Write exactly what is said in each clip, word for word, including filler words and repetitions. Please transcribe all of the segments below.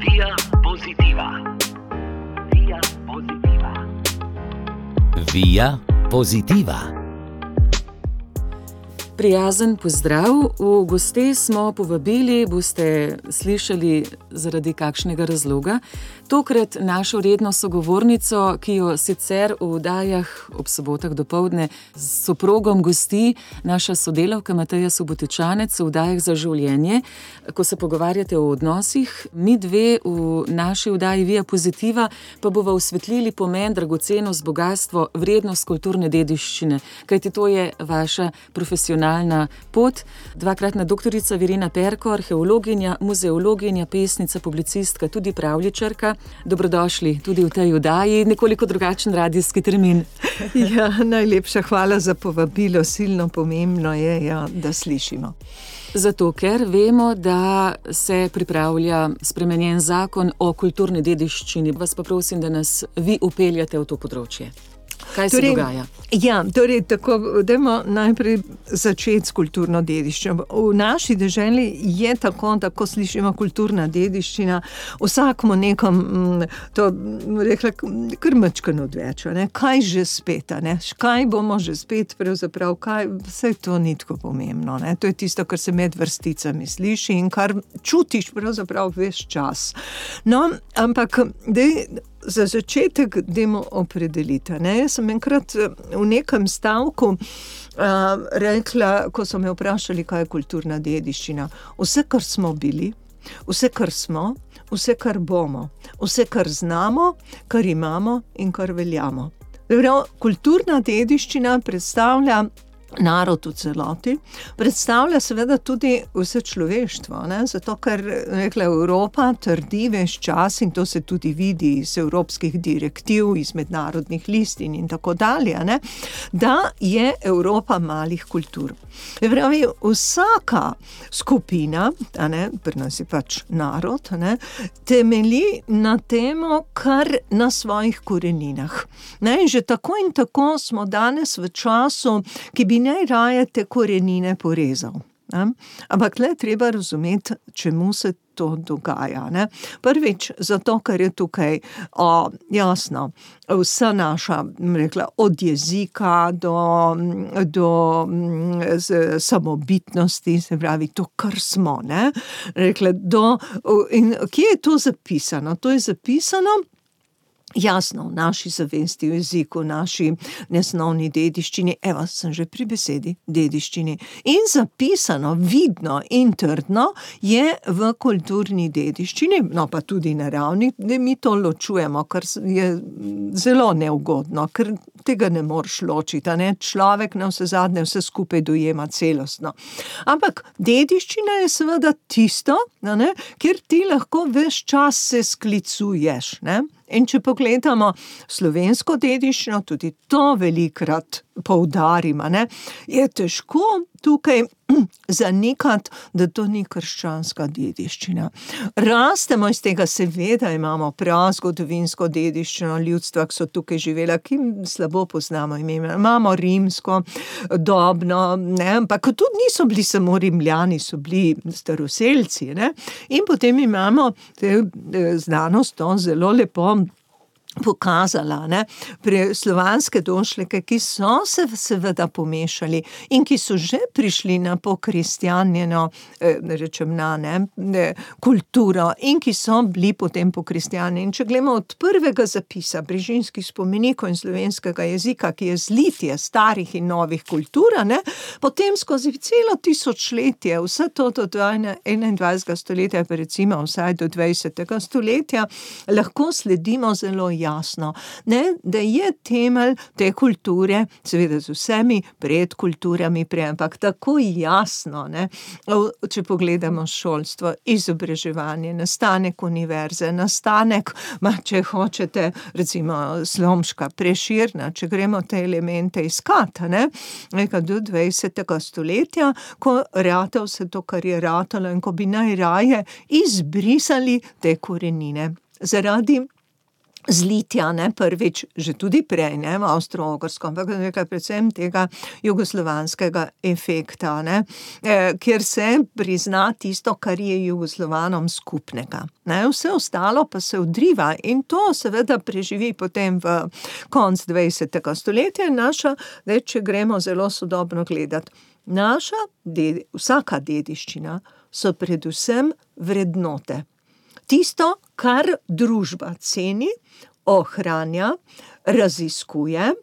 Via Positiva. Via Positiva. Via Positiva. Prijazen pozdrav. V goste smo povabili, boste slišali zaradi kakšnega razloga, tokrat našo redno sogovornico, ki jo sicer v oddajah ob sobotah dopoldne s soprogom gosti naša sodelavka Mateja Subotičanec v oddajah Za življenje. Ko se pogovarjate o odnosih, mi dve v naši oddaji Via Positiva pa bova osvetlili pomen, dragocenost, bogatstvo, vrednost kulturne dediščine, kajti to je vaša profesionalna pot. Dvakratna doktorica Virena Perko, arheologinja, muzeologinja, pesnica, publicistka, tudi pravljičarka. Dobrodošli tudi v tej oddaji, nekoliko drugačen radijski termin. Ja, najlepša hvala za povabilo, silno pomembno je, ja, da slišimo. Zato, ker vemo, da se pripravlja spremenjen zakon o kulturni dediščini. Vas pa prosim, da nas vi upeljate v to področje. Kaj se torej, dogaja? Ja, torej tako, dajmo najprej začeti s kulturno dediščino. V naši deželi je tako, da ko slišimo kulturna dediščina, vsakmo nekom, to rekla, kar mačkano odveč, ne? Kaj že spet, ne? Kaj bomo že spet pravzaprav, kaj, vse to ni tako pomembno, ne? To je tisto, kar se med vrsticami sliši in kar čutiš pravzaprav ves čas. No, ampak, dej, za začetek dajmo opredeliti, ne? Jaz sem enkrat v nekem stavku uh, rekla, ko so me vprašali, kaj je kulturna dediščina. Vse, kar smo bili, vse, kar smo, vse, kar bomo, vse, kar znamo, kar imamo in kar veljamo. Prav, kulturna dediščina predstavlja narod v celoti, predstavlja seveda tudi vse človeštvo, ne? Zato, ker rekla Evropa trdi ves čas in to se tudi vidi iz evropskih direktiv, iz mednarodnih listin in tako dalje, ne? Da je Evropa malih kultur. Pravi, vsaka skupina, a ne, pri nas je pač narod, ne, temelji na temo, kar na svojih koreninah. Ne, in že tako in tako smo danes v času, ki bi najraje te korenine porezal. Ne? Ampak le treba razumeti, čemu se to dogaja. Ne? Prvič, zato, ker je tukaj o, jasno, vsa naša, rekla, od jezika do, do z, samobitnosti, se pravi, to, kar smo, ne? Rekla, do, in kje je to zapisano? To je zapisano jasno, v naši zavesti, v jeziku, v naši nesnovni dediščini, evo, sem že pri besedi, dediščini, in zapisano, vidno in trdno je v kulturni dediščini, no pa tudi naravni, da mi to ločujemo, kar je zelo neugodno, ker tega ne moreš ločiti, ne? Človek na vse zadnje vse skupaj dojema celostno. Ampak dediščina je seveda tisto, ne? Kjer ti lahko ves čas se sklicuješ, ne? In če pogledamo slovensko dediščino, tudi to velikrat poudarimo, ne, je težko tukaj zanikati, da to ni krščanska dediščina. Rastemo iz tega, seveda imamo prazgodovinsko dediščino ljudstva, ki so tukaj živela, ki slabo poznamo ime. Imamo rimsko, dobno, ne, ampak tudi niso bili samo Rimljani, so bili staroselci, ne. In potem imamo te, znanost to zelo lepo pokazala, ne, pri slovanske došleke, ki so se seveda pomešali in ki so že prišli na pokristjanjeno, eh, rečem na, ne, kulturo in ki so bili potem pokristjani. In če gledamo od prvega zapisa brižinskih spomenikov in slovenskega jezika, ki je zlitje starih in novih kultur, ne, potem skozi celo tisočletje, vse to do enaindvajsetega stoletja, pa recimo vsaj do dvajsetega stoletja, lahko sledimo zelo jasno, ne, da je temelj te kulture, seveda z vsemi predkulturami prej, ampak tako jasno, ne, če pogledamo šolstvo, izobraževanje, nastanek univerze, nastanek, ma, če hočete, recimo Slomška, Preširna, če gremo te elemente iskati, ne, nekaj do dvajsetega stoletja, ko rata vse to, kar je ratalo in ko bi najraje izbrisali te korenine. Zaradi zlitja, ne, prvič, že tudi prej, ne, v Avstro-Ogrsko, ampak nekaj predvsem tega jugoslovanskega efekta, ne, eh, kjer se prizna tisto, kar je Jugoslovanom skupnega. Ne, vse ostalo pa se odriva in to seveda preživi potem v konc dvajsetega stoletja in naša, zdaj, če gremo zelo sodobno gledati, naša, ded, vsaka dediščina so predvsem vrednote. Tisto, kar družba ceni, ohranja, raziskuje,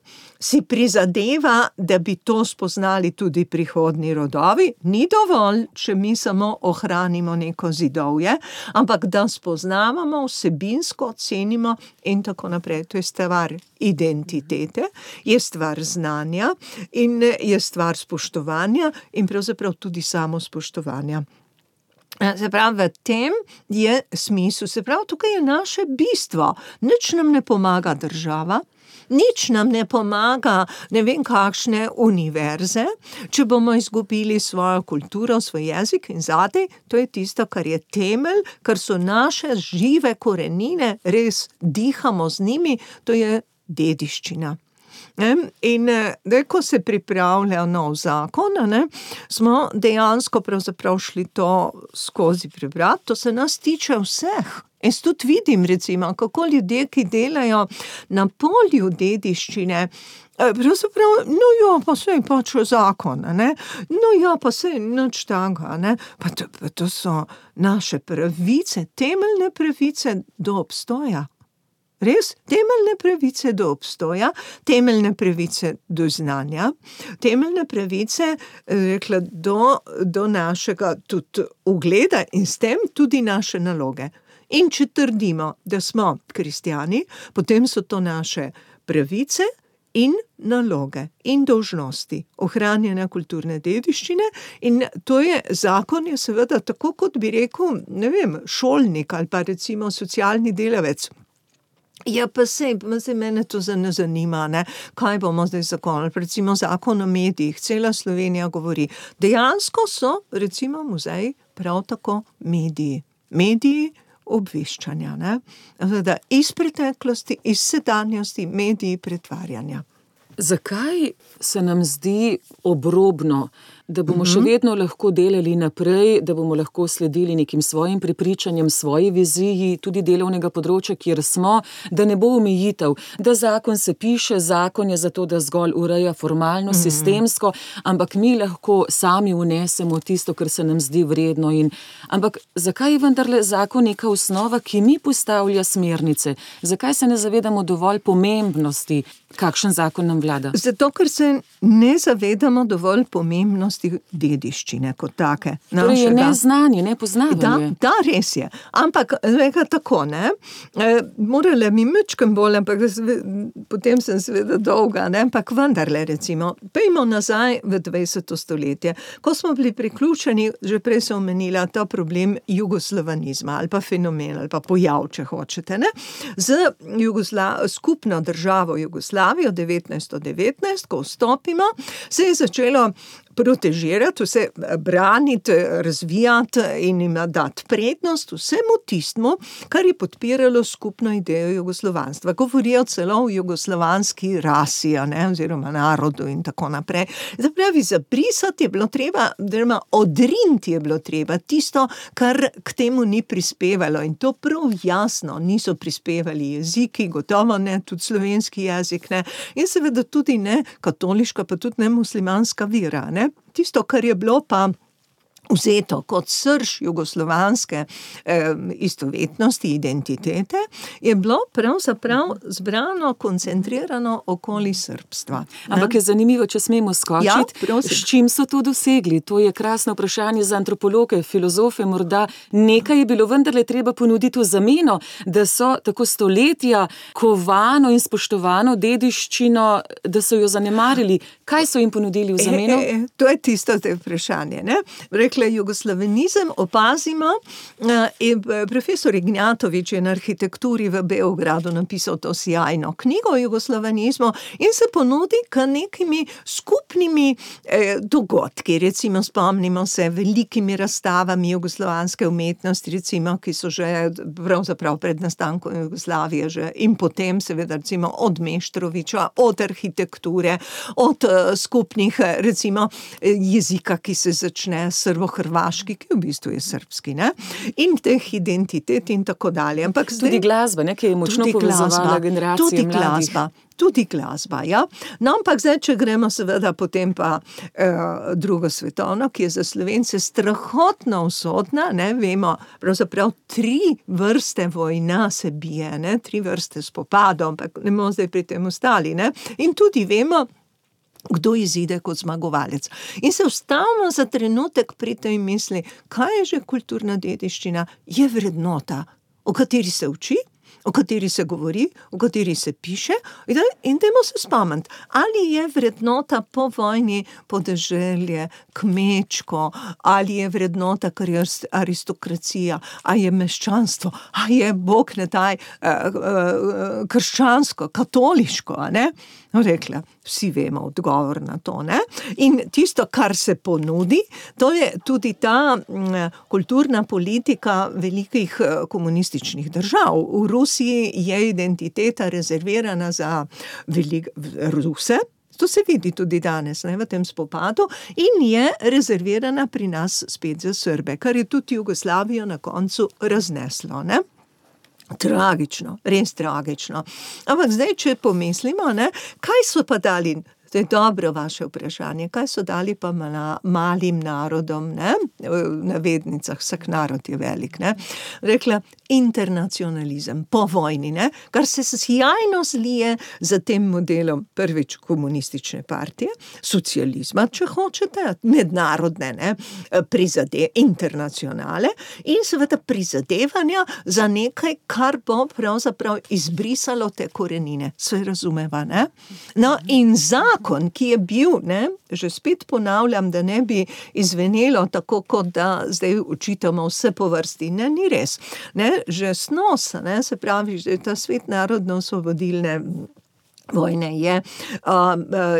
si prizadeva, da bi to spoznali tudi prihodnji rodovi. Ni dovolj, če mi samo ohranimo neko zidovje, ampak da spoznavamo, vsebinsko cenimo in tako naprej. To je stvar identitete, je stvar znanja in je stvar spoštovanja in pravzaprav tudi samospoštovanja. Se pravi, v tem je smisel, se pravi, tukaj je naše bistvo. Nič nam ne pomaga država, nič nam ne pomaga ne vem kakšne univerze, če bomo izgubili svojo kulturo, svoj jezik in zadaj, to je tisto, kar je temelj, kar so naše žive korenine, res dihamo z njimi, to je dediščina. In da, ko se pripravlja nov zakon, ne, smo dejansko pravzaprav šli to skozi prebrati, to se nas tiče vseh. Jaz tudi vidim, recimo, kako ljudje, ki delajo na polju dediščine, pravzaprav, no ja, pa sej pač zakon, ne, no ja, pa sej nič tega, ne, pa to, pa to so naše pravice, temeljne pravice do obstoja. Res, temeljne pravice do obstoja, temeljne pravice do znanja, temeljne pravice, rekla, do, do našega tudi ugleda in s tem tudi naše naloge. In če trdimo, da smo kristjani, potem so to naše pravice in naloge in dolžnosti ohranjanja kulturne dediščine in to je, zakon je seveda tako, kot bi rekel, ne vem, šolnik ali pa recimo socialni delavec. Ja, pa sej, sej mene to ne zanima, ne, kaj bomo zdaj zakonili, recimo zakon o medijih, cela Slovenija govori, dejansko so, recimo muzeji, prav tako mediji, mediji obveščanja, ne, da iz preteklosti, iz sedanjosti, mediji pretvarjanja. Zakaj se nam zdi obrobno, da bomo še vedno lahko delali naprej, da bomo lahko sledili nekim svojim prepričanjem, svoji viziji, tudi delovnega področja, kjer smo, da ne bo omejitev, da zakon se piše, zakon je zato, da zgolj ureja formalno, sistemsko, ampak mi lahko sami vnesemo tisto, kar se nam zdi vredno. In, ampak zakaj je vendarle zakon neka osnova, ki mi postavlja smernice? Zakaj se ne zavedamo dovolj pomembnosti, kakšen zakon nam vlada? Zato, ker se ne zavedamo dovolj pomembnosti dediščine kot take. Torej je neznanje, nepoznavanje. Da, da, res je. Ampak, reka tako, ne, e, morala mi mečkem bolj, ampak potem sem seveda dolga, ne, ampak vendarle, recimo, pejmo nazaj v dvajseto stoletje, ko smo bili priključeni, že prej sem omenila ta problem jugoslovanizma, ali pa fenomen, ali pa pojav, če hočete, ne, z Jugosla- skupno državo Jugoslavijo devetnajststo devetnajst, ko vstopimo, se je začelo protežirati, vse braniti, razvijati in jim dati prednost vsemu tistmu, kar je podpiralo skupno idejo jugoslovanstva. Govorijo celo o jugoslovanski rasi, ne, oziroma narodu in tako naprej. Zapravi, zabrisati je bilo treba, oziroma odriniti je bilo treba tisto, kar k temu ni prispevalo in to prav jasno niso prispevali jeziki, gotovo ne, tudi slovenski jezik, ne, in seveda tudi ne katoliška, pa tudi ne muslimanska vera, ne. Tisto, kar je bilo pa vzeto kot srž jugoslovanske eh, istovetnosti, identitete, je bilo pravzaprav zbrano, koncentrirano okoli srbstva. Ne? Ampak je zanimivo, če smemo skočiti, ja, s čim so to dosegli? To je krasno vprašanje za antropologe, filozofe, morda nekaj je bilo vendarle treba ponuditi v zameno, da so tako stoletja kovano in spoštovano dediščino, da so jo zanemarili. Kaj so jim ponudili v zameno? E, e, to je tisto te vprašanje, ne? Rekla rekla, jugoslavenizem opazimo, in profesor Ignjatovič je na arhitekturi v Beogradu napisal to sjajno knjigo o jugoslavenizmu in se ponudi k nekimi skupnimi eh, dogodki, recimo spomnimo se velikimi razstavami jugoslovanske umetnosti, recimo, ki so že pravzaprav pred nastankom Jugoslavije že in potem seveda recimo od Meštrovića, od arhitekture, od uh, skupnih recimo jezika, ki se začne srbo-hrvaški, ki v bistvu je srbski, ne? In teh identitet in tako dalje. Ampak zdaj, tudi glasba, ne, ki je močno povezovala generacije tudi mladih. Glasba. Tudi glasba, ja. No, ampak zdaj, če gremo seveda potem pa eh, drugo svetovno, ki je za Slovence strahotno usodna, ne, vemo, pravzaprav tri vrste vojna se bije, ne, tri vrste spopadov, ampak ne bomo zdaj pri tem ostali, ne. In tudi vemo, kdo izide kot zmagovalec. In se ustavimo za trenutek pri tej misli, kaj je že kulturna dediščina? Je vrednota, o kateri se uči, o kateri se govori, o kateri se piše, in dajmo se spomniti, ali je vrednota po vojni podeželje, kmečko, ali je vrednota, kar je aristokracija, ali je meščanstvo, ali je, Bog ne daj, krščansko, katoliško, a ne? No, rekla, vsi vemo odgovor na to, ne? In tisto, kar se ponudi, to je tudi ta m, kulturna politika velikih komunističnih držav. V Rusiji je identiteta rezervirana za velik, Ruse, to se vidi tudi danes, ne, v tem spopadu, in je rezervirana pri nas spet za Srbe, kar je tudi Jugoslavijo na koncu razneslo, ne? Tragično, res tragično. Ampak zdaj, če pomislimo, ne, kaj so pa dali, to je dobro vaše vprašanje, kaj so dali pa mala, malim narodom, ne, v navednicah, vsak narod je velik, ne, rekla, internacionalizem, po vojni, ne, kar se sjajno zlije za tem modelom prvič komunistične partije, socializma, če hočete, mednarodne, ne, prizade, internacionale in seveda prizadevanja za nekaj, kar bo pravzaprav izbrisalo te korenine. Sve razumeva, ne? No, in zakon, ki je bil, ne, že spet ponavljam, da ne bi izvenelo tako, kot da zdaj učitamo vse po vrsti. Ne, ni res. Ne, že snos, ne, se pravi, že ta svet narodno-osvobodilne vojne je uh,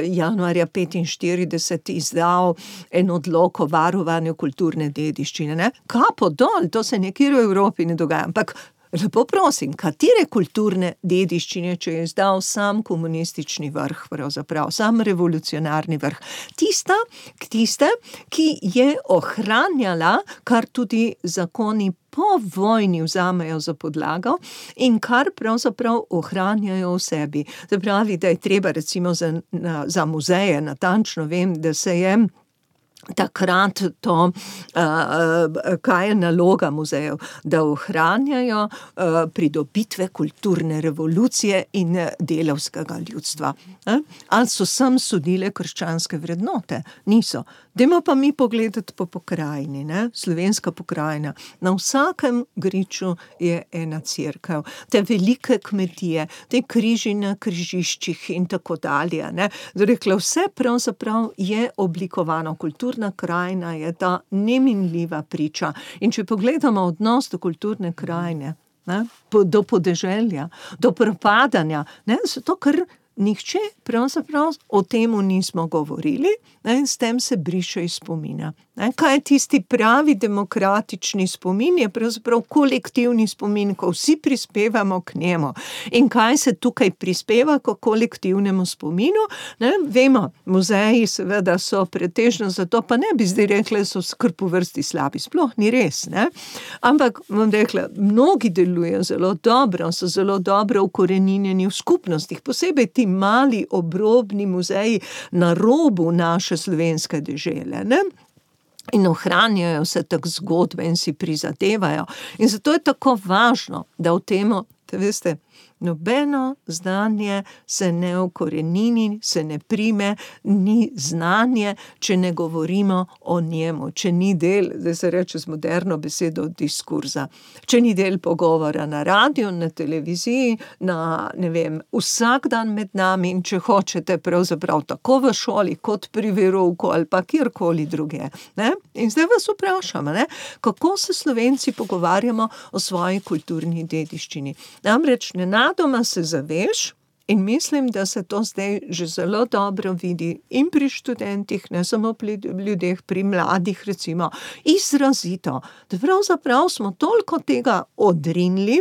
januarja petinštirideset izdal en odlok o varovanju kulturne dediščine. Ne? Kapo dol, to se nekjer v Evropi ne dogaja, ampak lepo prosim, katere kulturne dediščine, če je izdal sam komunistični vrh, pravzaprav, sam revolucionarni vrh. Tista, tiste, ki je ohranjala, kar tudi zakoni po vojni vzamejo za podlago in kar pravzaprav ohranjajo v sebi. Se pravi, da je treba recimo za, na, za muzeje, natančno vem, da se je takrat to, uh, kaj je naloga muzejev, da ohranjajo uh, pridobitve kulturne revolucije in delavskega ljudstva. Eh? Ali so sem sodile krščanske vrednote? Niso. Dajmo pa mi pogledati po pokrajini, ne? Slovenska pokrajina. Na vsakem griču je ena cerkev. Te velike kmetije, te križi na križiščih in tako dalje. Ne? Rekla, vse pravzaprav je oblikovano. Kulturna krajina je ta neminljiva priča. In če pogledamo odnos do kulturne krajine, ne? Do podeželja, do propadanja, ne? Zato ker nihče pravzaprav o temu nismo govorili, ne, in s tem se briše iz spomina. Ne, kaj je tisti pravi demokratični spomin, je pravzaprav kolektivni spomin, ko vsi prispevamo k njemu. In kaj se tukaj prispeva k kolektivnemu spominu? Ne, vemo, muzeji seveda so pretežno zato, pa ne bi zdaj rekla, so skrb po vrsti slabi, sploh ni res, ne. Ampak, bom rekla, mnogi delujejo zelo dobro, so zelo dobro ukoreninjeni v skupnostih, posebej ti mali obrobni muzeji na robu naše slovenske dežele, ne? In ohranjajo se tak zgodbe in si prizadevajo. In zato je tako važno, da v temu, te veste, Nobeno znanje se ne ukorenini, se ne prime, ni znanje, če ne govorimo o njemu, če ni del, zdaj se reče z moderno besedo, diskurza, če ni del pogovora na radiju, na televiziji, na, ne vem, vsak dan med nami in če hočete pravzaprav tako v šoli, kot pri verouku ali pa kjerkoli druge. Ne? In zdaj vas vprašam, ne? Kako se Slovenci pogovarjamo o svoji kulturni dediščini. Namreč nenadoma se zaveš, in mislim, da se to zdaj že zelo dobro vidi in pri študentih, ne samo pri ljudeh, pri mladih recimo, izrazito, da pravzaprav smo toliko tega odrinili,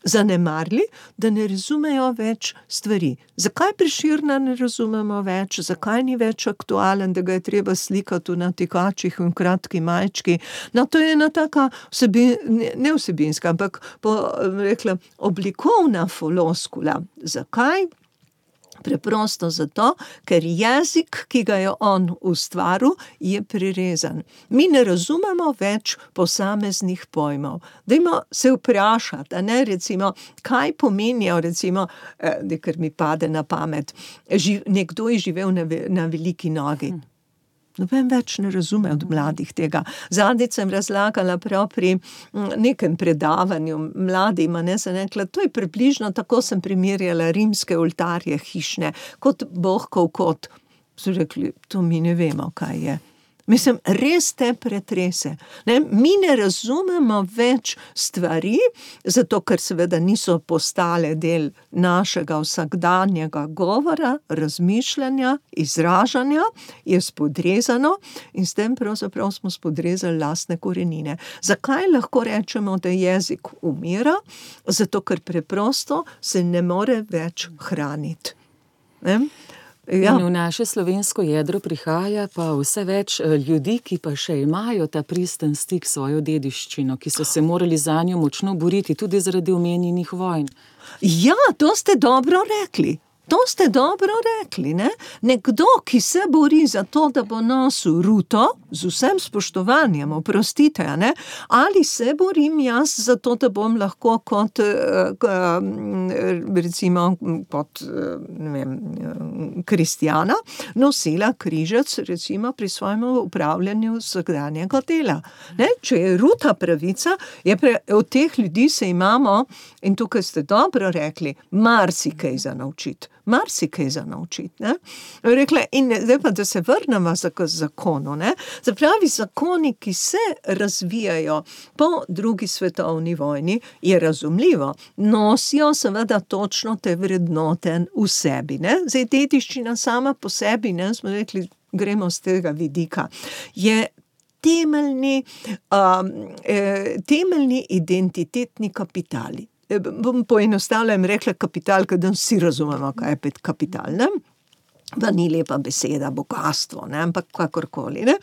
zanemarili, da ne razumejo več stvari. Zakaj Prešerna ne razumemo več, zakaj ni več aktualen, da ga je treba slikati v natikačih in kratki majčki. No, to je ena taka vsebin, ne vsebinska, ampak po, rekla, oblikovna floskula. Zakaj? Preprosto zato, ker jezik, ki ga je on ustvaril, je prirezan. Mi ne razumemo več posameznih pojmov. Dajmo se vprašati, a ne, recimo, kaj pomenijo, recimo, eh, ker mi pade na pamet, živ, nekdo je živel na, na veliki nogi. Noben več ne razume od mladih tega. Zadnjič sem razlagala prav pri nekem predavanju mladima, ne, sem rekla, to je približno, tako sem primerjala rimske oltarje hišne, kot bohkov kot. So rekli, to mi ne vemo, kaj je. Mislim, res te pretrese. Ne? Mi ne razumemo več stvari, zato ker seveda niso postale del našega vsakdanjega govora, razmišljanja, izražanja, je spodrezano in s tem pravzaprav smo spodrezali lastne korenine. Zakaj lahko rečemo, da jezik umira? Zato ker preprosto se ne more več hraniti. Ne? Ja. In v naše slovensko jedro prihaja pa vse več ljudi, ki pa še imajo ta pristen stik s svojo dediščino, ki so se morali zanjo močno boriti, tudi zaradi omenjenih vojn. Ja, to ste dobro rekli. To ste dobro rekli, ne? Nekdo, ki se bori za to, da bo nosil ruto, z vsem spoštovanjem, oprostite, ne? Ali se borim jaz za to, da bom lahko kot, recimo, kot, ne vem, kristjana, nosila križec, recimo, pri svojem upravljanju vsakdanjega dela. Ne? Če je ruta pravica, je pre, od teh ljudi se imamo, in tukaj ste dobro rekli, marsikaj za naučiti. Marsikaj za naučiti, ne. Rekla, in zdaj pa, da se vrnemo k zakonu, ne. Zapravi, zakoni, ki se razvijajo po drugi svetovni vojni, je razumljivo, nosijo seveda točno te vrednote v sebi, ne. Zdaj, dediščina sama po sebi, ne, smo rekli, gremo z tega vidika, je temeljni, um, eh, temeljni identitetni kapitali. Bom poenostavila in rekla kapital, ker da vsi razumemo, kaj je pet kapital, ne? Pa ni lepa beseda, bogastvo, ne, ampak kakorkoli, ne.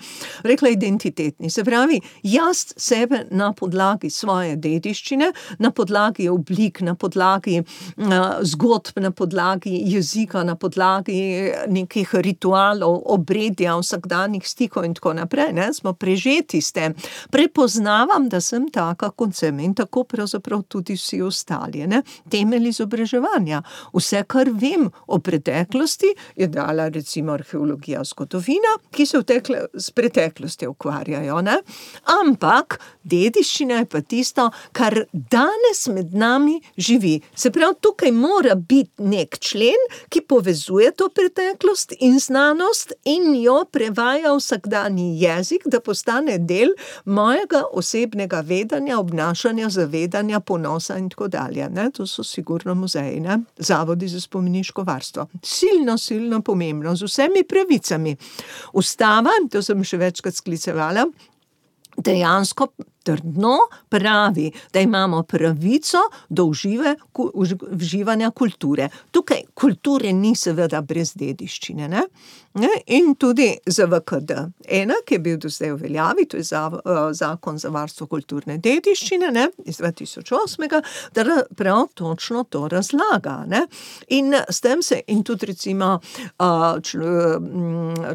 Rekla identitetni, se pravi, jaz sebe na podlagi svoje dediščine, na podlagi oblik, na podlagi uh, zgodb, na podlagi jezika, na podlagi nekih ritualov, obredja, vsakdanjih stikov in tako naprej, ne, smo prežeti s tem. Prepoznavam, da sem taka, kot sem in tako pravzaprav tudi vsi ostali, ne. Temelj izobraževanja. Vse, kar vem o preteklosti, je dala recimo arheologija, zgodovina, ki se v tekle, s preteklosti ukvarjajo, ne? Ampak dediščina je pa tisto, kar danes med nami živi. Se pravi, tukaj mora biti nek člen, ki povezuje to preteklost in znanost in jo prevaja vsakdanji jezik, da postane del mojega osebnega vedanja, obnašanja, zavedanja, ponosa in tako dalje, ne? To so sigurno muzeji, ne? Zavodi za spomeniško varstvo. Silno, silno pomembno, z vsemi pravicami. Ustava, to sem še večkrat sklicevala, dejansko trdno pravi, da imamo pravico do užive, uživanja kulture. Tukaj kulture ni seveda brez dediščine, ne? In tudi za V K D ena, ki je bil do zdaj v veljavi, to je zakon za varstvo kulturne dediščine, ne, iz dva tisoč osmega, da prav točno to razlaga, ne. In s tem se, in tudi recimo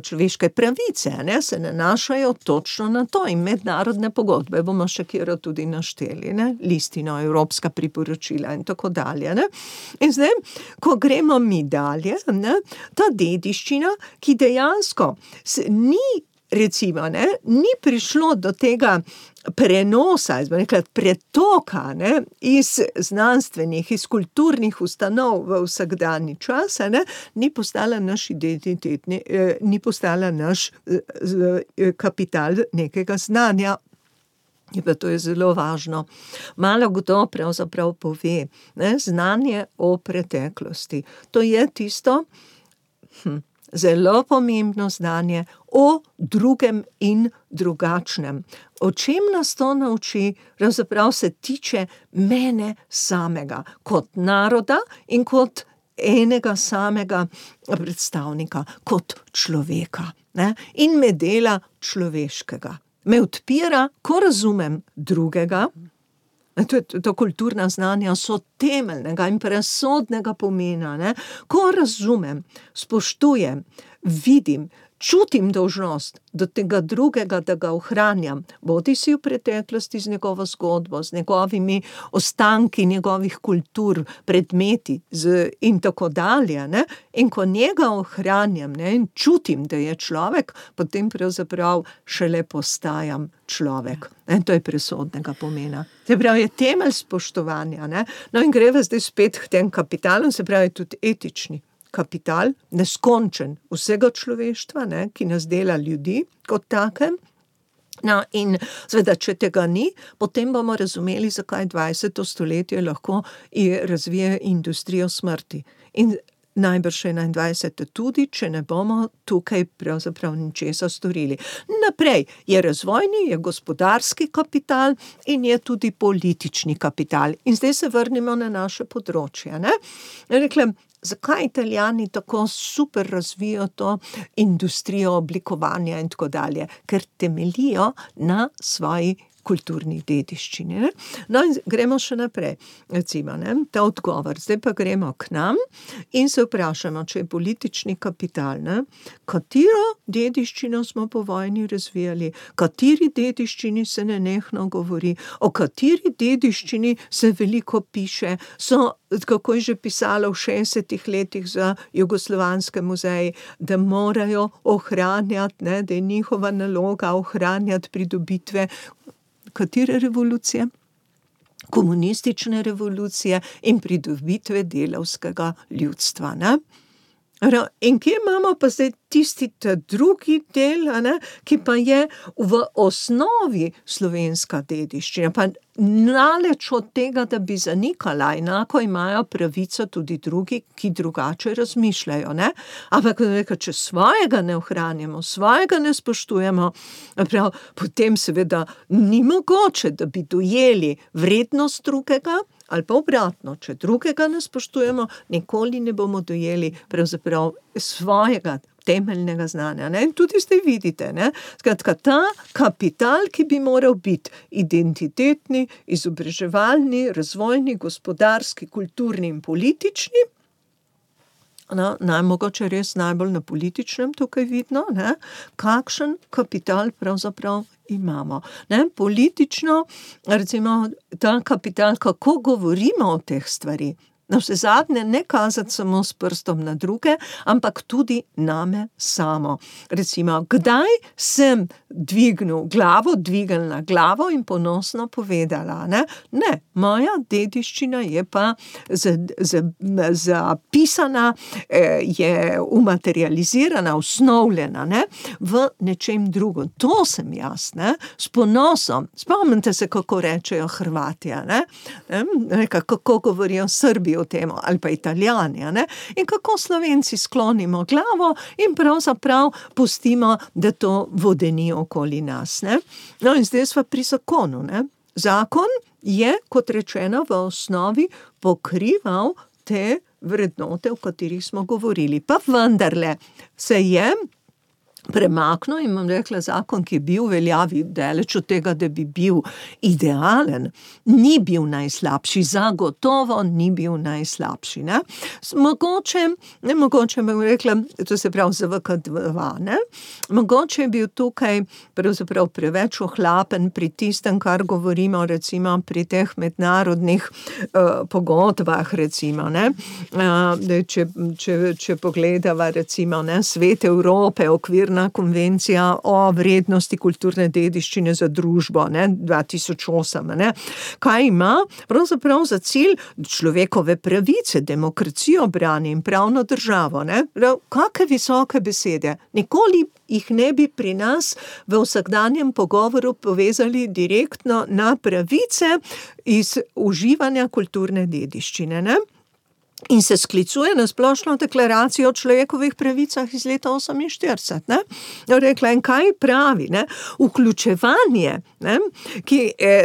človeške pravice, ne, se nanašajo točno na to in mednarodne pogodbe. Bom bomo še kjero tudi našteli, ne? Listino, evropska priporočila in tako dalje. Ne? In zdaj, ko gremo mi dalje, ne? Ta dediščina, ki dejansko se ni, recimo, ne? Ni prišlo do tega prenosa, rekla, pretoka, ne? Iz znanstvenih, iz kulturnih ustanov v vsakdanji čas, ne? Ni postala naš identitetni, eh, ni postala naš eh, kapital nekega znanja. In pa to je zelo važno. Malo kdo pravzaprav pove, ne? Znanje o preteklosti. To je tisto, hm, zelo pomembno znanje o drugem in drugačnem. O čem nas to nauči, pravzaprav se tiče mene samega, kot naroda in kot enega samega predstavnika, kot človeka, ne? In me dela človeškega. Me odpira, ko razumem drugega. To, to kulturna znanja so temeljnega in presodnega pomena, ne? Ko razumem, spoštujem, vidim, čutim dolžnost do tega drugega, da ga ohranjam, bodi si v preteklosti z njegovo zgodbo, z njegovimi ostanki njegovih kultur, predmeti z, in tako dalje, ne? In ko njega ohranjam, ne? In čutim, da je človek, potem pravzaprav šele postajam človek. In to je presodnega pomena. Se pravi, je temelj spoštovanja, ne? No in greva zdaj spet k tem kapitalom, se pravi tudi etični kapital, neskončen vsega človeštva, ne, ki nas dela ljudi kot takem. No, in seveda, če tega ni, potem bomo razumeli, zakaj dvajseto stoletje lahko razvije industrijo smrti. In najbrž enaindvajseto tudi, če ne bomo tukaj pravzaprav ničesa storili. Naprej je razvojni, je gospodarski kapital in je tudi politični kapital. In zdaj se vrnemo na naše področje, ne? Rekla, zakaj Italijani tako super razvijo to industrijo oblikovanja in tako dalje? Ker temeljijo na svoji kulturni dediščini, ne? No in gremo še naprej, recimo, ne? Ta odgovor. Zdaj pa gremo k nam in se vprašamo, če je politični kapital, ne? Katero dediščino smo po vojni razvijali, kateri dediščini se nenehno govori, o kateri dediščini se veliko piše, so, kako je že pisalo v šestdesetih letih za jugoslovanske muzeje, da morajo ohranjati, ne? Da je njihova naloga ohranjati pridobitve katere revolucije? Komunistične revolucije in pridobitve delavskega ljudstva, ne? In kje imamo pa zdaj tisti ta drugi del, ne, ki pa je v osnovi slovenska dediščina, pa naleč od tega, da bi zanikala, enako imajo pravico tudi drugi, ki drugače razmišljajo, ne? Ampak, če svojega ne ohranjamo, svojega ne spoštujemo, prav, potem seveda ni mogoče, da bi dojeli vrednost drugega, ali pa obratno, če drugega ne spoštujemo, nikoli ne bomo dojeli pravzaprav svojega temeljnega znanja, ne? In tudi zdaj vidite, ne? Skratka, ta kapital, ki bi moral biti identitetni, izobraževalni, razvojni, gospodarski, kulturni in politični, no, najmogoče res najbolj na političnem tukaj vidno, ne? Kakšen kapital pravzaprav imamo. Ne? Politično, recimo, ta kapital, kako govorimo o teh stvari, na vse zadnje ne kazati samo s prstom na druge, ampak tudi name samo. Recimo, kdaj sem dvignil glavo, dvignila glavo in ponosno povedala, ne? Ne, moja dediščina je pa zapisana, je umaterializirana, usnovljena, ne? V nečem drugem. To sem jaz, ne? S ponosom. Spomnite se, kako rečejo Hrvatija, ne? Ne? Kako govorijo Srbi o tem, ali pa Italijani, ne? In kako Slovenci sklonimo glavo in pravzaprav pustimo, da to vodeni okoli nas, ne? No in zdaj smo pri zakonu, ne? Zakon je, kot rečeno, v osnovi pokrival te vrednote, o katerih smo govorili. Pa vendarle se je premaknil in bom rekla, zakon, ki je bil v veljavi, daleč od tega, da bi bil idealen, ni bil najslabši, zagotovo ni bil najslabši, ne. Mogoče, ne mogoče bom rekla, to se pravi Z V K dva, ne, mogoče je bil tukaj pravzaprav preveč ohlapen pri tistem, kar govorimo recimo pri teh mednarodnih uh, pogodbah, recimo, ne, uh, če, če, če pogledava recimo, ne, Svet Evrope, okvirna konvencija o vrednosti kulturne dediščine za družbo, ne, dva tisoč osem, ne. Kaj ima? Pravzaprav za cilj človekove pravice, demokracijo brani in pravno državo, ne. Kakšne visoke besede. Nikoli jih ne bi pri nas v vsakdanjem pogovoru povezali direktno na pravice iz uživanja kulturne dediščine, ne. In se sklicuje na splošno deklaracijo o človekovih pravicah iz leta oseminštirideset, ne. Rekla, in kaj pravi, ne? Vključevanje, ne, ki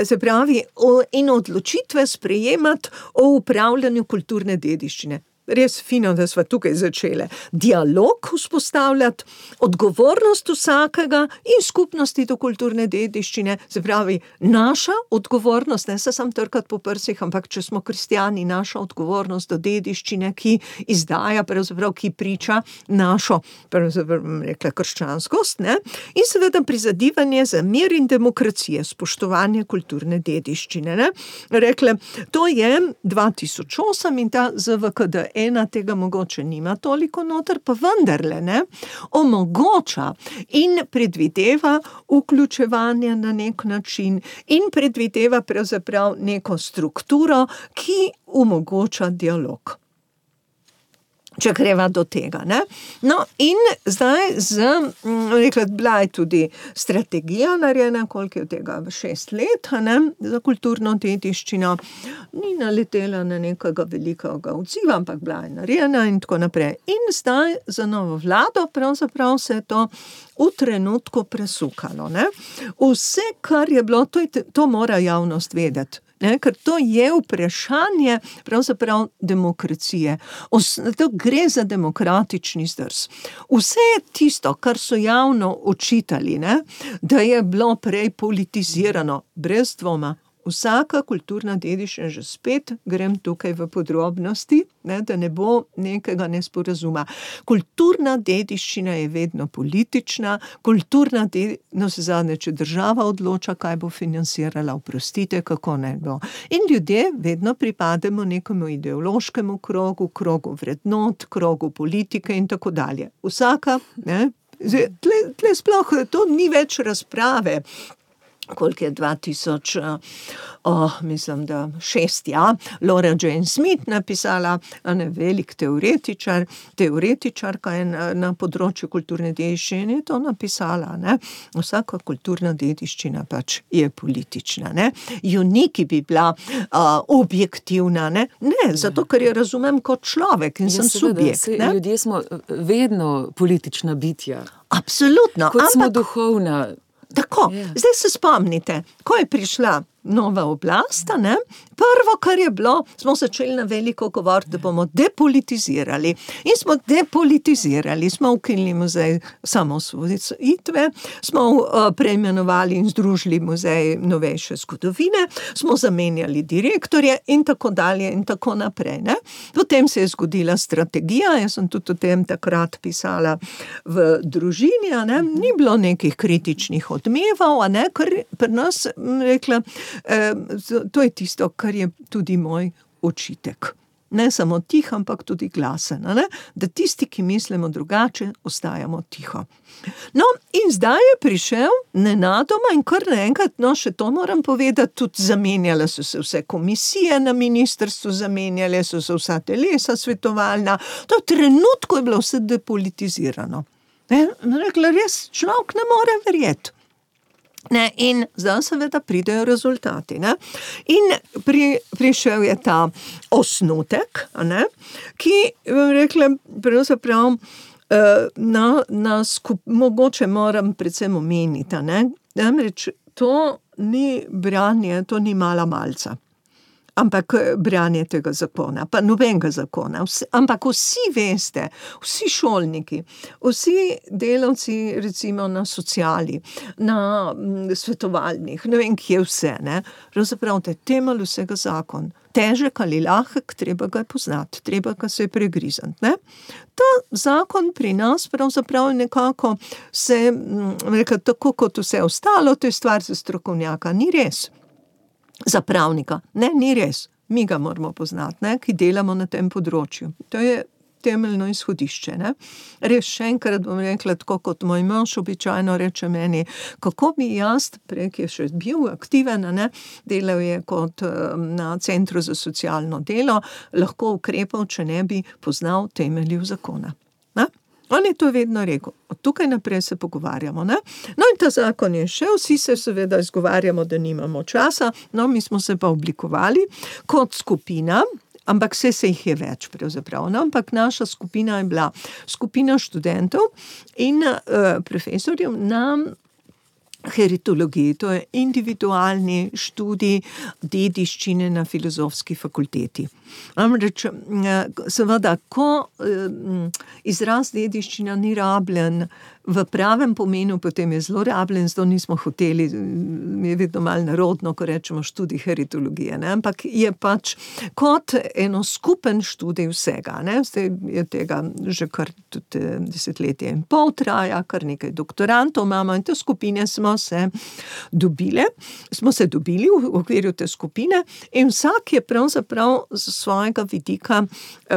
se pravi, o, in odločitve sprejemati o upravljanju kulturne dediščine. Res fino, da sva tukaj začele. Dialog vzpostavljati, odgovornost vsakega in skupnosti do kulturne dediščine, se pravi, naša odgovornost, ne se sam trkati po prsih, ampak če smo kristjani, naša odgovornost do dediščine, ki izdaja, pravzaprav, ki priča našo, pravzaprav, rekla, krščanskost, ne, in seveda prizadevanje za mir in demokracije, spoštovanje kulturne dediščine, ne. Rekla, to je dva tisoč osem in ta Z V K D ena tega mogoče nima toliko noter, pa vendarle, ne, omogoča in predvideva vključevanje na nek način in predvideva pravzaprav neko strukturo, ki omogoča dialog. Če greva do tega, ne. No, in zdaj z, rekla, bila je tudi strategija narejena, koliko je od tega, šest let, ne, za kulturno dediščino, ni naletela na nekega velikega odziva, ampak bila je narejena in tako naprej. In zdaj za novo vlado pravzaprav se je to v trenutku presukalo, ne. Vse, kar je bilo, to, je, to mora javnost vedeti. Ne, ker to je vprašanje pravzaprav demokracije. Os, to gre za demokratični zdrs. Vse tisto, kar so javno očitali, ne, da je bilo prej politizirano, brez dvoma. Vsaka kulturna dediščina, že spet grem tukaj v podrobnosti, ne, da ne bo nekega nesporazuma. Kulturna dediščina je vedno politična, kulturna dediščina, no se zadnje, če država odloča, kaj bo financirala, oprostite, kako ne bo. In ljudje vedno pripademo nekemu ideološkemu krogu, krogu vrednot, krogu politike in tako dalje. Vsaka, ne, tle, tle sploh, to ni več razprave, koliko je dva tisoč, oh, mislim, da šest, ja, Laura Jane Smith napisala, ne, velik teoretičar, teoretičarka je na, na področju kulturne dediščine to napisala, ne. Vsaka kulturna dediščina pač je politična, ne. Juniki bi bila uh, objektivna, ne. Ne, zato, ker je razumem kot človek in sem subjekt, ne. Ljudje smo vedno politična bitja. Absolutno. Kot smo ampak... duhovna. Tako, yeah. Zdaj se spomnite, ko je prišla nova oblast, ne, prvo, kar je bilo, smo začeli na veliko govoriti, da bomo depolitizirali. In smo depolitizirali, smo ukinili muzej samosvojitve, smo uh, preimenovali in združili muzej novejše zgodovine, smo zamenjali direktorje in tako dalje in tako naprej, ne. Potem se je zgodila strategija, jaz sem tudi o tem takrat pisala v družini, ne, ni bilo nekih kritičnih odmevov, ne, ker pri nas, rekla, to je tisto, kar je tudi moj očitek. Ne samo tih, ampak tudi glasen, ne? Da tisti, ki mislimo drugače, ostajamo tiho. No, in zdaj je prišel nenadoma in kar naenkrat, no, še to moram povedati, tudi zamenjale so se vse komisije na ministrstvu, zamenjale so se vsa telesa svetovalna, to v trenutku je bilo vse depolitizirano. Ne? Rekla, res človek ne more verjeti. Ne, in zdaj seveda pridejo rezultati, ne. In pri, prišel je ta osnutek, ne, ki, rekla, pravzaprav, na, na skup, mogoče moram predvsem omeniti, ne, namreč to ni branje, to ni mala malca. ampak branje tega zakona, pa nobenega zakona. Vsi, ampak vsi veste, vsi šolniki, vsi delavci recimo na sociali, na svetovalnih, ne vem, kje vse, ne, pravzaprav te temelj vsega zakon. Težek ali lahek, treba ga poznati, treba ga se pregrizati, ne. Ta zakon pri nas pravzaprav nekako se, rekel, tako kot vse ostalo, to je stvar za strokovnjaka, ni res. Za pravnika, ne, ni res. Mi ga moramo poznati, ne, ki delamo na tem področju. To je temeljno izhodišče, ne. Res, še enkrat bom rekla, tako kot moj mož običajno reče meni, kako bi jaz, prek je še bil aktiven, ne, delal je kot na Centru za socialno delo, lahko ukrepal, če ne bi poznal temeljev zakona. Ne? On je to vedno rekel. Od tukaj naprej se pogovarjamo, ne. No in ta zakon je šel, vsi se seveda izgovarjamo, da nimamo časa, no mi smo se pa oblikovali kot skupina, ampak vse se jih je več pravzaprav, no, ampak naša skupina je bila skupina študentov in uh, profesorjev na heritologiji, to je individualni študij dediščine na Filozofski fakulteti. Namreč, seveda, ko izraz dediščina ni rabljen v pravem pomenu, potem je zelo rabljen, zato nismo hoteli, je vedno malo narodno, ko rečemo študij heritologije, ne, ampak je pač kot eno skupen študij vsega, ne, zdaj je tega že kar tudi desetletje in pol traja, kar nekaj doktorantov imamo in te skupine smo se dobile, smo se dobili v okviru te skupine in vsak je pravzaprav z svojega vidika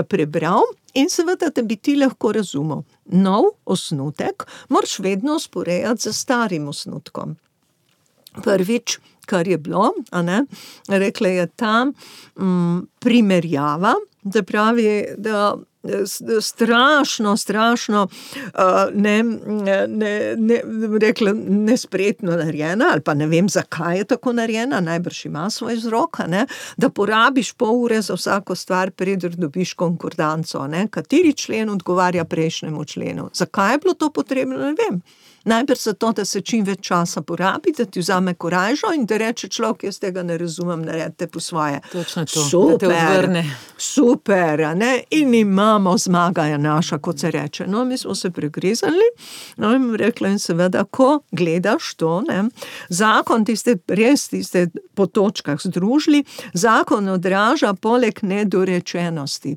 prebral in seveda, da bi ti lahko razumel. Nov osnutek moraš vedno usporejati z starim osnutkom. Prvič, kar je bilo, a ne, rekla je ta m, primerjava, da pravi, da strašno, strašno uh, ne, ne, ne, rekla, nespretno narejena, ali pa ne vem, zakaj je tako narejena, najbrž ima svoj vzrok, ne, da porabiš pol ure za vsako stvar, preden dobiš konkordanco, ne, kateri člen odgovarja prejšnjemu členu. Zakaj je bilo to potrebno, ne vem. Najbrž zato, da se čim več časa porabi, da ti vzame korajžo in da reče človek, jaz tega ne razumem, naredite po svoje. Točno to, super, da te odvrne. Super, ne? In imamo, zmaga je naša, kot se reče. No, mi smo se pregrizali, no, in rekla in seveda, ko gledaš to, ne, zakon, tiste, res tiste po točkah združili, zakon odraža poleg nedorečenosti.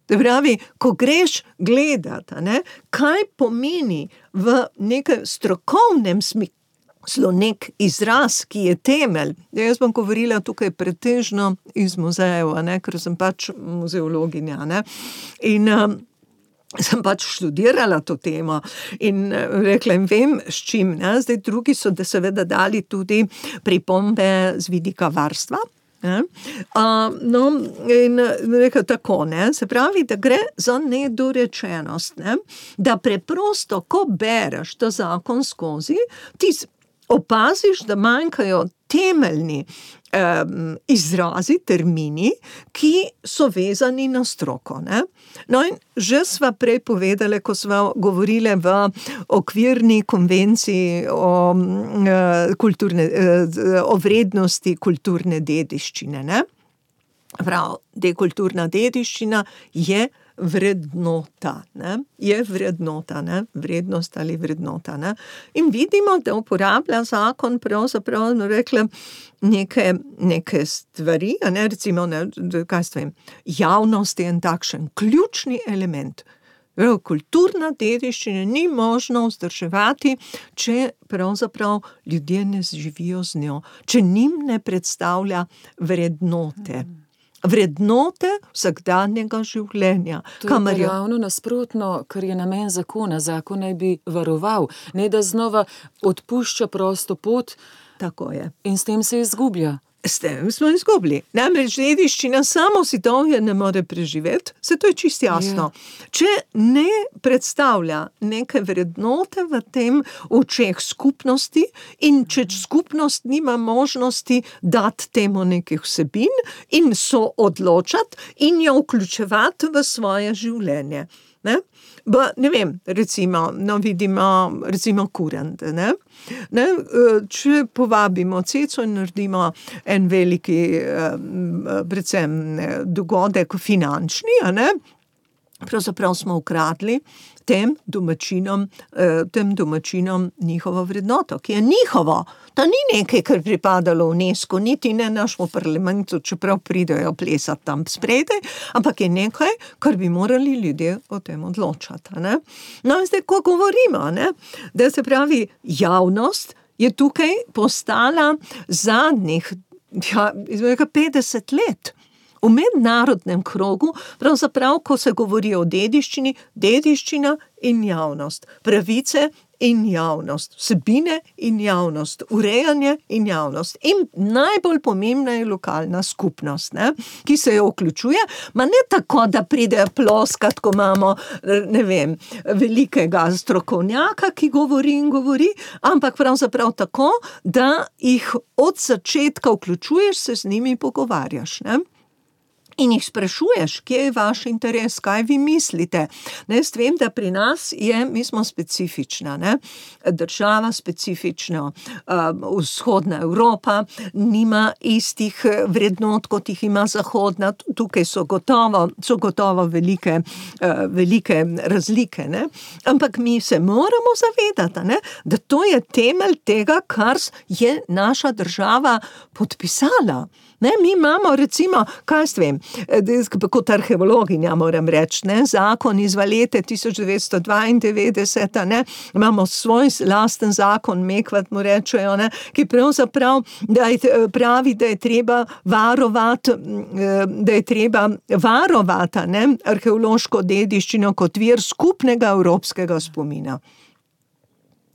To pravi, ko greš gledati, ne, kaj pomeni v nekem strokovnem smislu nek izraz, ki je temelj. Jaz bom govorila tukaj pretežno iz muzejev, ne, ker sem pač muzeologinja, ne, in um, sem pač študirala to temo in rekla in vem, s čim, ne, zdaj drugi so da seveda dali tudi pripombe z vidika varstva. Uh, no, in rekel tako, ne, se pravi, da gre za nedorečenost, ne, da preprosto, ko bereš ta zakon skozi, ti opaziš, da manjkajo temeljni um, izrazi, termini, ki so vezani na stroko, ne. No in že sva prej povedali, ko sva govorili v okvirni konvenciji o, uh, kulturne, uh, o vrednosti kulturne dediščine, ne. Prav, dekulturna dediščina je vrednota, ne, je vrednota, ne, vrednost ali vrednota, ne. In vidimo, da uporablja zakon pravzaprav, no, rekla, neke, neke stvari, a ne, recimo, ne, kaj stvem, javnost je en takšen ključni element. Kulturna dediščina ni možno vzdrževati, če pravzaprav ljudje ne živijo z njo, če njim ne predstavlja vrednote. Vrednote vsakdanjega življenja. To je je... ravno nasprotno, kar je namen zakona. Zakon naj bi varoval, ne da znova odpušča prosto pot. Tako je. In s tem se izgublja. S tem smo izgubili. Namreč dediščina samo sitovje ne more preživeti, se to je čisto jasno. Yeah. Če ne predstavlja neke vrednote v tem očeh skupnosti in če skupnost nima možnosti dati temu nekih vsebin in so odločati in jo vključevati v svoje življenje. Ne? Ba, ne vem, recimo, no vidimo, recimo kurent, ne? Ne? Če povabimo Ceco in naredimo en veliki, predvsem dogodek finančni, a ne? Pravzaprav smo ukradli tem domačinom, tem domačinom njihovo vrednoto, ki je njihovo. To ni nekaj, kar pripadalo UNESCO, niti ne našemu parlamentu, čeprav pridejo plesati tam spredaj, ampak je nekaj, kar bi morali ljudje o tem odločati. Ne? No in zdaj, ko govorimo, ne? Da se pravi, javnost je tukaj postala zadnjih ja, petdeset let. V mednarodnem krogu, pravzaprav, ko se govori o dediščini, dediščina in javnost, pravice in javnost, vsebine in javnost, urejanje in javnost. In najbolj pomembna je lokalna skupnost, ne, ki se jo vključuje, ma ne tako, da pridejo ploskat, ko imamo, ne vem, velikega strokovnjaka, ki govori in govori, ampak pravzaprav tako, da jih od začetka vključuješ, se z njimi pogovarjaš, ne. In jih sprašuješ, kje je vaš interes, kaj vi mislite. Ne, jaz vem, da pri nas je, mi smo specifična, ne, država specifična, uh, vzhodna Evropa nima istih vrednot, kot jih ima zahodna, tukaj so gotovo, so gotovo velike, uh, velike razlike, ne, ampak mi se moramo zavedati, ne, da to je temelj tega, kar je naša država podpisala. Ne, mi imamo recimo, kaj vem, kot arheologinja moram reči, ne, zakon iz Valete tisoč devetsto dvaindevetdeset, ne, imamo svoj lasten zakon, Mekvat mu rečejo, ne, ki pravzaprav da je, pravi, da je treba varovati, da je treba varovati, ne, arheološko dediščino kot vir skupnega evropskega spomina.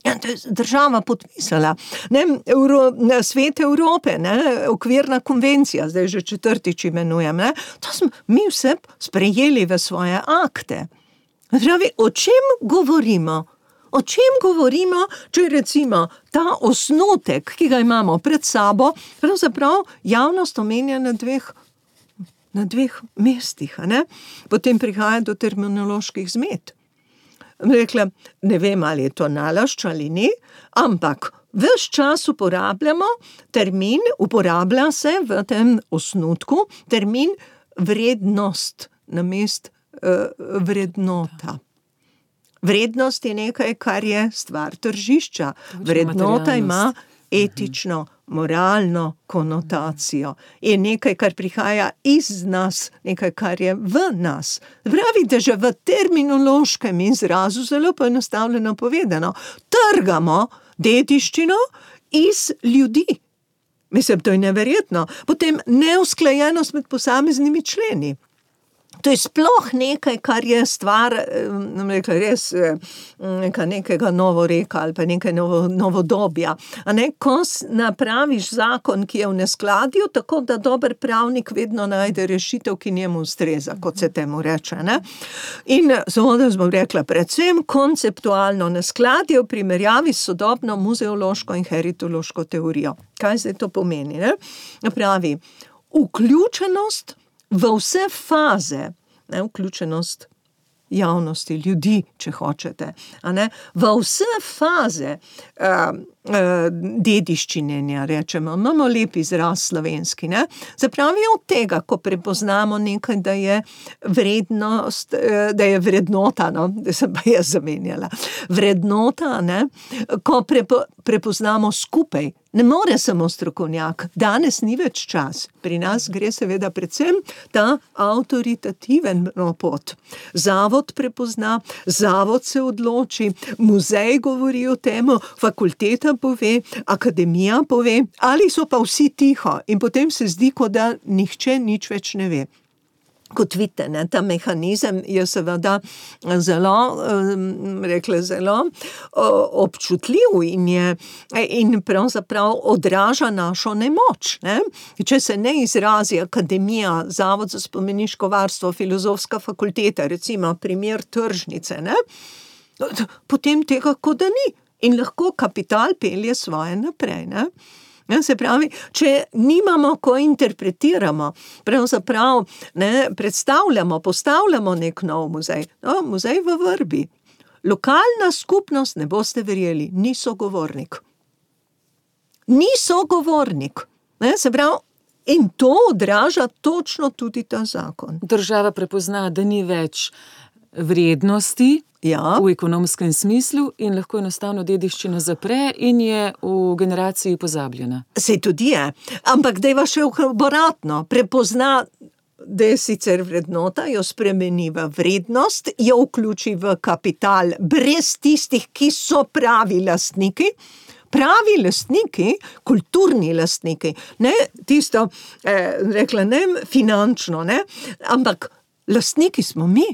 Ja, to je država podpisala. Ne, Euro, Svet Evrope, ne, okvirna konvencija, zdaj že četrtič imenujem, ne, to smo mi vse sprejeli v svoje akte. Pravi, o čem govorimo? O čem govorimo, če recimo ta osnutek, ki ga imamo pred sabo, pravzaprav javnost omenja na dveh, na dveh mestih, a ne? Potem prihaja do terminoloških zmed. Rekla, ne vem, ali je to nalašč ali ni, ampak ves čas uporabljamo termin, uporablja se v tem osnutku termin vrednost namest uh, vrednota. Vrednost je nekaj, kar je stvar tržišča. Vrednota ima etično, moralno konotacijo. Je nekaj, kar prihaja iz nas, nekaj, kar je v nas. Pravi, da že v terminološkem izrazu, zelo poenostavljeno povedano, trgamo dediščino iz ljudi. Mislim, to je neverjetno. Potem neusklajenost med posameznimi členi. To je sploh nekaj, kar je stvar, rekla, res neka, nekega novoreka ali pa nekaj novo, novodobja. A ne, ko napraviš zakon, ki je v neskladju, tako da dober pravnik vedno najde rešitev, ki njemu ustreza, kot se temu reče. Ne? In seveda smo rekla, predvsem konceptualno neskladje v primerjavi s sodobno muzeološko in heritološko teorijo. Kaj zdaj to pomeni? Ne? Pravi, vključenost v vse faze, ne, vključenost javnosti, ljudi, če hočete, a ne, v vse faze uh, uh, dediščine, ne, rečemo, imamo lep izraz slovenski, ne, zapravi od tega, ko prepoznamo nekaj, da je vrednost, uh, da je vrednota, no, da sem pa jaz zamenjala, vrednota, ne, ko prepo, prepoznamo skupaj. Ne more samo strokovnjak, danes ni več čas. Pri nas gre seveda predvsem ta avtoritativen pot. Zavod prepozna, zavod se odloči, muzej govori o temu, fakulteta pove, akademija pove, ali so pa vsi tiho in potem se zdi, kot da nihče nič več ne ve. Kot vidite, ne, ta mehanizem je seveda zelo, rekla, zelo občutljiv in, je, in pravzaprav odraža našo nemoč. Ne. Če se ne izrazi akademija, Zavod za spomeniško varstvo, Filozofska fakulteta, recimo primer tržnice, ne, potem tega kot da ni. In lahko kapital pelje svoje naprej. Ne. Ja, se pravi, če nimamo, ko interpretiramo, pravzaprav ne, predstavljamo, postavljamo nek nov muzej, no, muzej v Vrbi. Lokalna skupnost, ne boste verjeli, ni sogovornik. Ni sogovornik. Ne, se pravi, in to odraža točno tudi ta zakon. Država prepozna, da ni več vrednosti, ja, v ekonomskem smislu in lahko enostavno dediščino zapre in je v generaciji pozabljena. Se tudi je, ampak dejva še obratno, prepozna, da je sicer vrednota, jo spremeni v vrednost, jo vključi v kapital brez tistih, ki so pravi lastniki. Pravi lastniki, kulturni lastniki, ne tisto, eh, rekla, ne finančno, ne, ampak lastniki smo mi.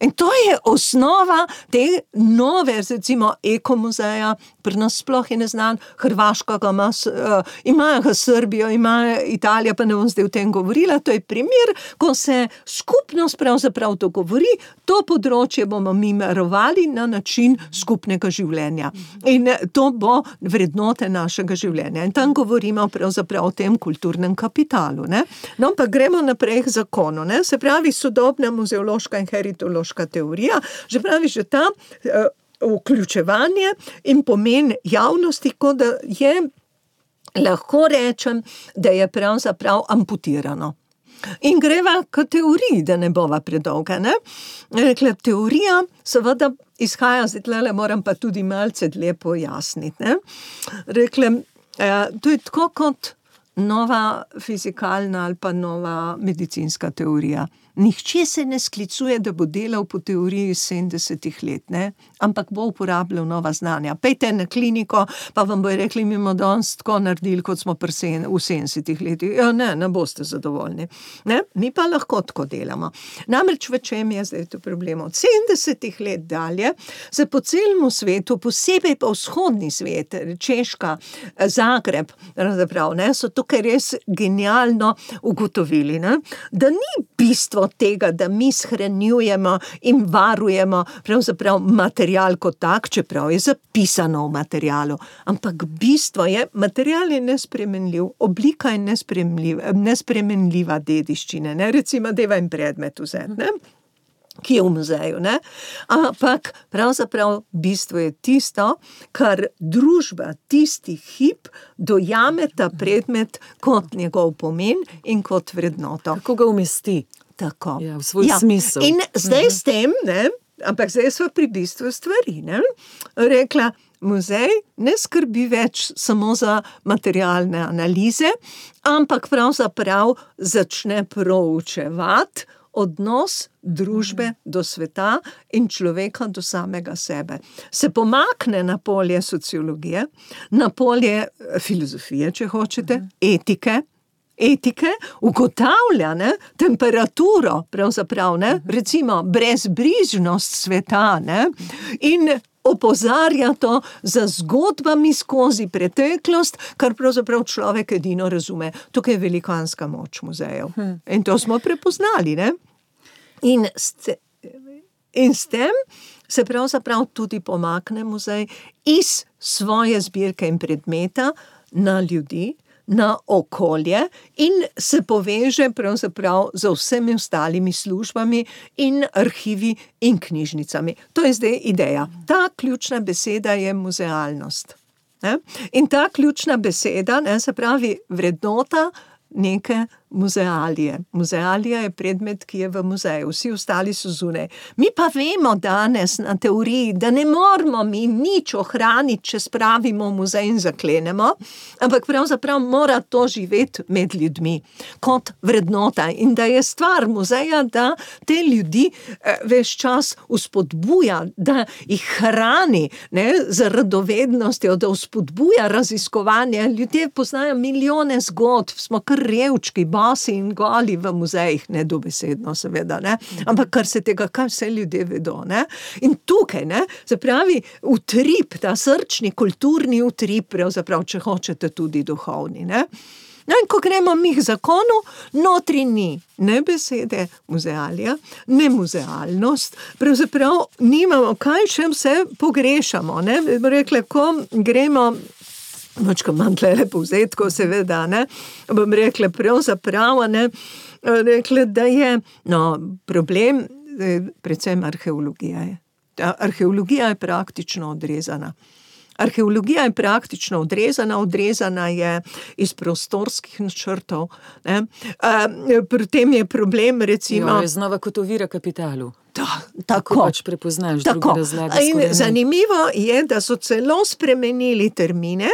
In to je osnova te nove, recimo, ekomuzeja, pri nas sploh je neznan, Hrvaška ga ima, uh, imajo ga Srbijo, ima Italija, pa ne bom zdaj o tem govorila, to je primer, ko se skupnost pravzaprav dogovori, to področje bomo mi varovali na način skupnega življenja. In to bo vrednote našega življenja. In tam govorimo pravzaprav o tem kulturnem kapitalu. Ne? No, pa gremo naprej k zakonu. Ne? Se pravi, sodobna muzeološka in heritološka teorija, že pravi, že ta uh, vključevanje in pomen javnosti, kot da je, lahko rečem, da je pravzaprav amputirano. In greva k teoriji, da ne bova predolga, ne? Rekla, teorija seveda izhaja, zdaj tlele moram pa tudi malce dlje pojasniti, ne? Rekla, eh, to je tako kot nova fizikalna ali pa nova medicinska teorija. Nihče se ne sklicuje, da bo delal po teoriji sedemdesetih let, ne? Ampak bo uporabljal nova znanja. Pejte na kliniko, pa vam bojo rekli, mi bomo danes tako naredili, kot smo pri sen, v sedemdesetih letih. Ja, ne, ne boste zadovoljni. Ne? Mi pa lahko tako delamo. Namreč v čem je zdaj to problem? Od sedemdesetih let dalje se po celemu svetu, posebej pa vzhodni svet, Češka, Zagreb, pravzaprav, ne, so tukaj res genialno ugotovili, ne? Da ni bistvo tega, da mi shranjujemo in varujemo pravzaprav material kot tak, čeprav je zapisano v materialu. Ampak bistvo je, material je nespremenljiv, oblika je nespremenljiva, nespremenljiva dediščine, ne? Recimo, deva in predmet vzeti, ne? Ki je v muzeju, ne? Ampak pravzaprav bistvo je tisto, kar družba tisti hip dojame ta predmet kot njegov pomen in kot vrednoto. Kako ga umesti? Tako. Ja, v svoj ja. smisel. In zdaj s tem, ne, ampak zdaj smo pri bistvu stvari, ne, rekla, muzej ne skrbi več samo za materialne analize, ampak pravzaprav začne proučevati odnos družbe do sveta in človeka do samega sebe. Se pomakne na polje sociologije, na polje filozofije, če hočete, etike, etike, ugotavlja, ne, temperaturo, pravzaprav, ne, recimo brezbrižnost sveta, ne, in opozarja to za zgodbami skozi preteklost, kar pravzaprav človek edino razume. Tukaj je velikanska moč muzejev. In to smo prepoznali, ne. In s, in s tem se pravzaprav tudi pomakne muzej iz svoje zbirke in predmeta na ljudi, na okolje in se poveže pravzaprav z vsemi ostalimi službami in arhivi in knjižnicami. To je zdaj ideja. Ta ključna beseda je muzealnost. Ne? In ta ključna beseda, ne, se pravi vrednota neke muzealije. Muzealija je predmet, ki je v muzeju, vsi ostali so zunaj. Mi pa vemo danes na teoriji, da ne moramo mi nič ohraniti, če spravimo v muzej in zaklenemo, ampak pravzaprav mora to živeti med ljudmi kot vrednota in da je stvar muzeja, da te ljudi eh, ves čas vzpodbuja, da jih hrani, ne, z radovednostjo, da vzpodbuja raziskovanje. Ljudje poznajo milijone zgodb, smo kar revčki, basi in goli v muzejih, ne dobesedno seveda, ne, ampak kar se tega, kaj vse ljudje vedo, ne, in tukaj, ne, se pravi, utrip, ta srčni, kulturni utrip, pravzaprav, če hočete tudi duhovni, ne. No, in ko gremo mi k zakonu, notri ni ne besede muzealija, ne muzealnost, pravzaprav nimamo, kaj še vse pogrešamo, ne, rekla, ko gremo močka manj tlele povzetko, seveda, ne, bom rekla pravzaprav, ne, rekla, da je, no, problem, predvsem arheologija je. Ta arheologija je praktično odrezana. Arheologija je praktično odrezana, odrezana je iz prostorskih načrtov, ne. Pri tem je problem, recimo... Jo, je znova kot ovira kapitalu. Da, tako. tako. Pač prepoznaš, druge razlage skoraj In zanimivo je, da so celo spremenili termine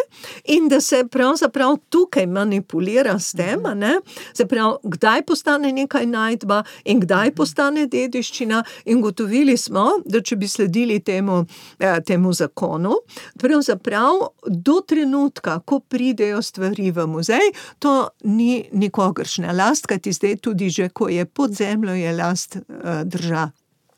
in da se pravzaprav tukaj manipulira s tem, ne, se pravi, kdaj postane nekaj najdba in kdaj postane dediščina, in gotovili smo, da če bi sledili temu, temu zakonu, pravzaprav do trenutka, ko pridejo stvari v muzej, to ni nikogaršnja last, kajti zdaj tudi že, ko je pod zemljo, je last država.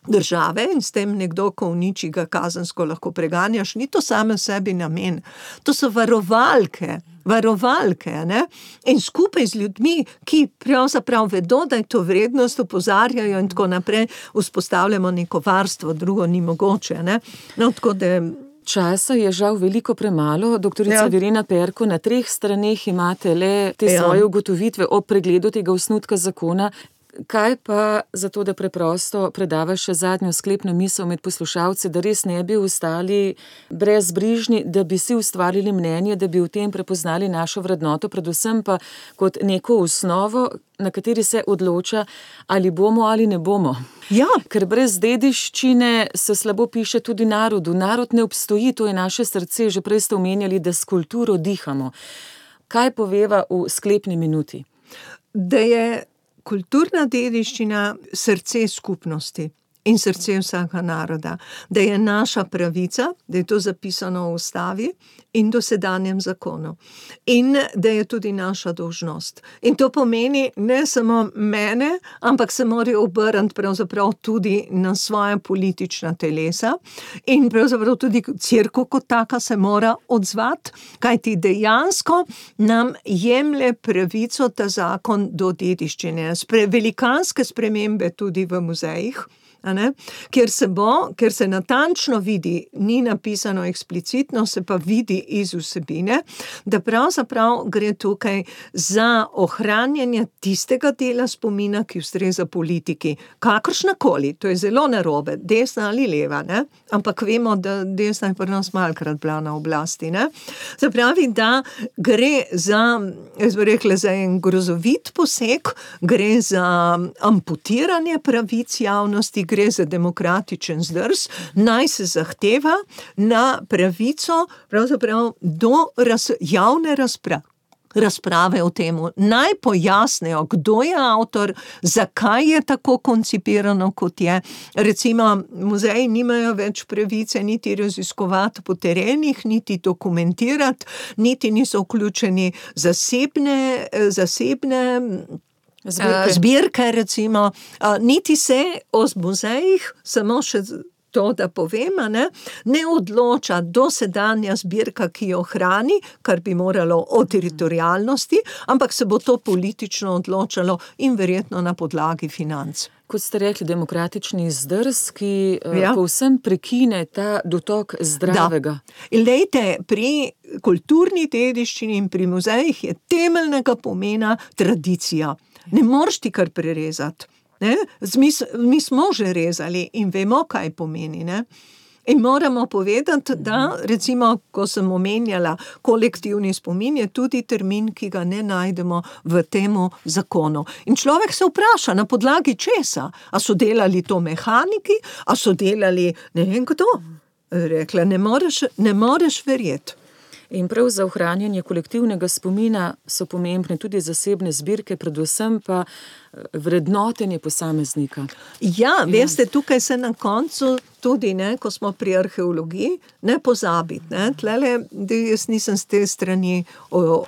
države in s tem nekdo, ko uniči, ga kazensko lahko preganjaš, ni to same sebi namen. To so varovalke, varovalke, ne? In skupaj z ljudmi, ki pravzaprav vedo, da je to vrednost, opozarjajo in tako naprej, vzpostavljamo neko varstvo, drugo ni mogoče, ne? No, tako da... Časa je žal veliko premalo. Doktorica ja. Verena Perko, na treh straneh imate le te ja. svoje ugotovitve o pregledu tega osnutka zakona. Kaj pa zato, da preprosto predavaš še zadnjo sklepno misel med poslušalce, da res ne bi ostali brezbrižni, da bi si ustvarili mnenje, da bi v tem prepoznali našo vrednoto, predvsem pa kot neko osnovo, na kateri se odloča, ali bomo ali ne bomo. Ja. Ker brez dediščine se slabo piše tudi narodu. Narod ne obstoji, to je naše srce. Že prej ste omenjali, da s kulturo dihamo. Kaj poveva v sklepni minuti? Da je kulturna dediščina srce skupnosti in srce vsega naroda, da je naša pravica, da je to zapisano v ustavi in dosedanjem zakonu. In da je tudi naša dolžnost. In to pomeni ne samo mene, ampak se morajo obrniti pravzaprav tudi na svoja politična telesa in pravzaprav tudi cerkev kot taka se mora odzvati, kajti dejansko nam jemlje pravico ta zakon do dediščine. Spre, velikanske spremembe tudi v muzejih, a ne? Ker se bo, ker se natančno vidi, ni napisano eksplicitno, se pa vidi iz vsebine, da pravzaprav gre tukaj za ohranjanje tistega dela spomina, ki ustreza politiki. Kakršnakoli, to je zelo narobe, desna ali leva, ne? Ampak vemo, da desna je pri nas malkrat bila na oblasti, ne? Se pravi, da gre za, jaz bi rekla, za en grozovit poseg, gre za amputiranje pravic javnosti, gre za demokratičen zdrs, naj se zahteva na pravico pravzaprav do raz, javne razprave. razprave o temu. Naj pojasnijo, kdo je avtor, zakaj je tako koncipirano, kot je. Recimo, muzeji nimajo več pravice niti raziskovati po terenih, niti dokumentirati, niti niso vključeni zasebne, zasebne Zbirke. Zbirke, recimo, niti se o muzejih, samo še to, da povem, ne, ne odloča dosedanja zbirka, ki jo hrani, kar bi moralo o teritorialnosti, ampak se bo to politično odločalo in verjetno na podlagi financ. Kot ste rekli, demokratični zdrs, ki ja. povsem prekine ta dotok zdravega. Da. In lejte, pri kulturni dediščini in pri muzejih je temeljnega pomena tradicija. Ne moreš ti kar prerezati. Ne? Mi, mi smo že rezali in vemo, kaj pomeni. Ne? In moramo povedati, da recimo, ko sem omenjala kolektivni spomin, je tudi termin, ki ga ne najdemo v temu zakonu. In človek se vpraša, na podlagi česa? A so delali to mehaniki? A so delali ne vem kdo? Rekla, ne moreš, ne moreš verjeti. In prav za ohranjanje kolektivnega spomina so pomembne tudi zasebne zbirke, predvsem pa vrednotenje posameznika. Ja, veste, tukaj se na koncu tudi, ne, ko smo pri arheologiji, ne pozabiti. Ne, tlele, jaz nisem z te strani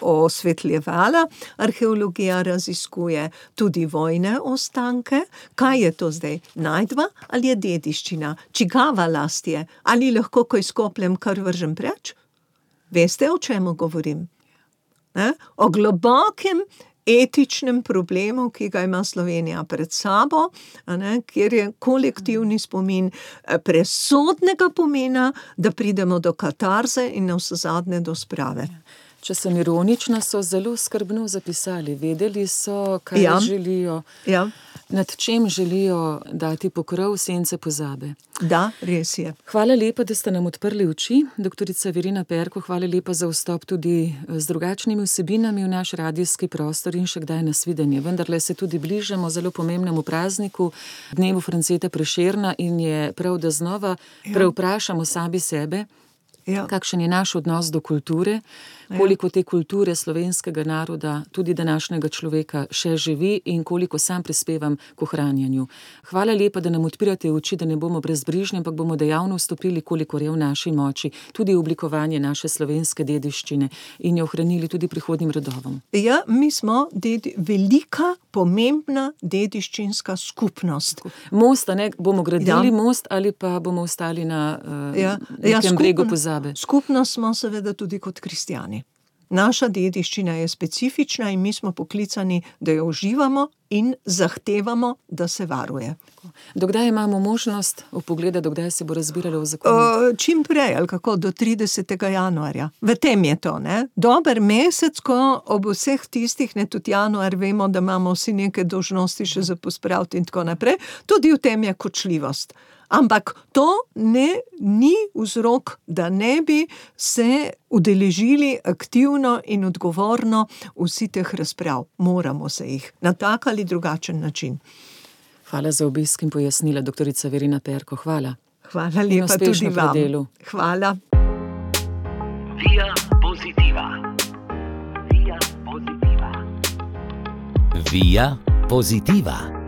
osvetljevala, arheologija raziskuje tudi vojne ostanke. Kaj je to zdaj? Najdba ali je dediščina? Čigava last je? Ali lahko, ko izkopljem, kar vržem preč? Veste, o čemu govorim? Ne? O globokem etičnem problemu, ki ga ima Slovenija pred sabo, ne? Kjer je kolektivni spomin presodnega pomena, da pridemo do katarze in navsezadnje do sprave. Če sem ironična, so zelo skrbno zapisali. Vedeli so, kaj Ja. želijo, Ja, nad čem želijo dati pokrov sence pozabe. da, res je. Hvala lepa, da ste nam odprli oči, doktorica Verena Perko, hvala lepa za vstop tudi z drugačnimi vsebinami v naš radijski prostor in še kdaj nasvidenje. Vendarle se tudi bližamo zelo pomembnemu prazniku, dnevu Franceta Prešerna, in je prav, da znova prevprašamo sami sebe, Ja. kakšen je naš odnos do kulture, koliko te kulture slovenskega naroda, tudi današnjega človeka, še živi in koliko sam prispevam k ohranjanju. Hvala lepa, da nam odpirate oči, da ne bomo brezbrižni, ampak bomo dejavno vstopili, kolikor je v naši moči, tudi v oblikovanje naše slovenske dediščine in jo ohranili tudi prihodnjim rodovom. Ja, mi smo dedi, velika, pomembna dediščinska skupnost. Most, a ne, bomo gradili Ja. most ali pa bomo ostali na uh, Ja, nekem ja, bregu skupno- pozabe. Skupnost smo seveda tudi kot kristjani. Naša dediščina je specifična in mi smo poklicani, da jo uživamo in zahtevamo, da se varuje. Dokdaj imamo možnost vpogleda, dokdaj se bo razbiralo v zakonu? Uh, čim prej, ali kako, do tridesetega januarja. V tem je to, ne? Dober mesec, ko ob vseh tistih, ne, tudi januar, vemo, da imamo vsi neke dolžnosti še za pospraviti in tako naprej, tudi v tem je kočljivost. Ampak to ne, ni vzrok, da ne bi se udeležili aktivno in odgovorno vsi teh razprav. Moramo se jih na tak ali drugačen način. Hvala za obisk in pojasnila, doktorica Verena Perko. Hvala. Hvala lepa uspešno tudi pri vam. delu. Hvala. Via Positiva. Via Positiva. Via Positiva.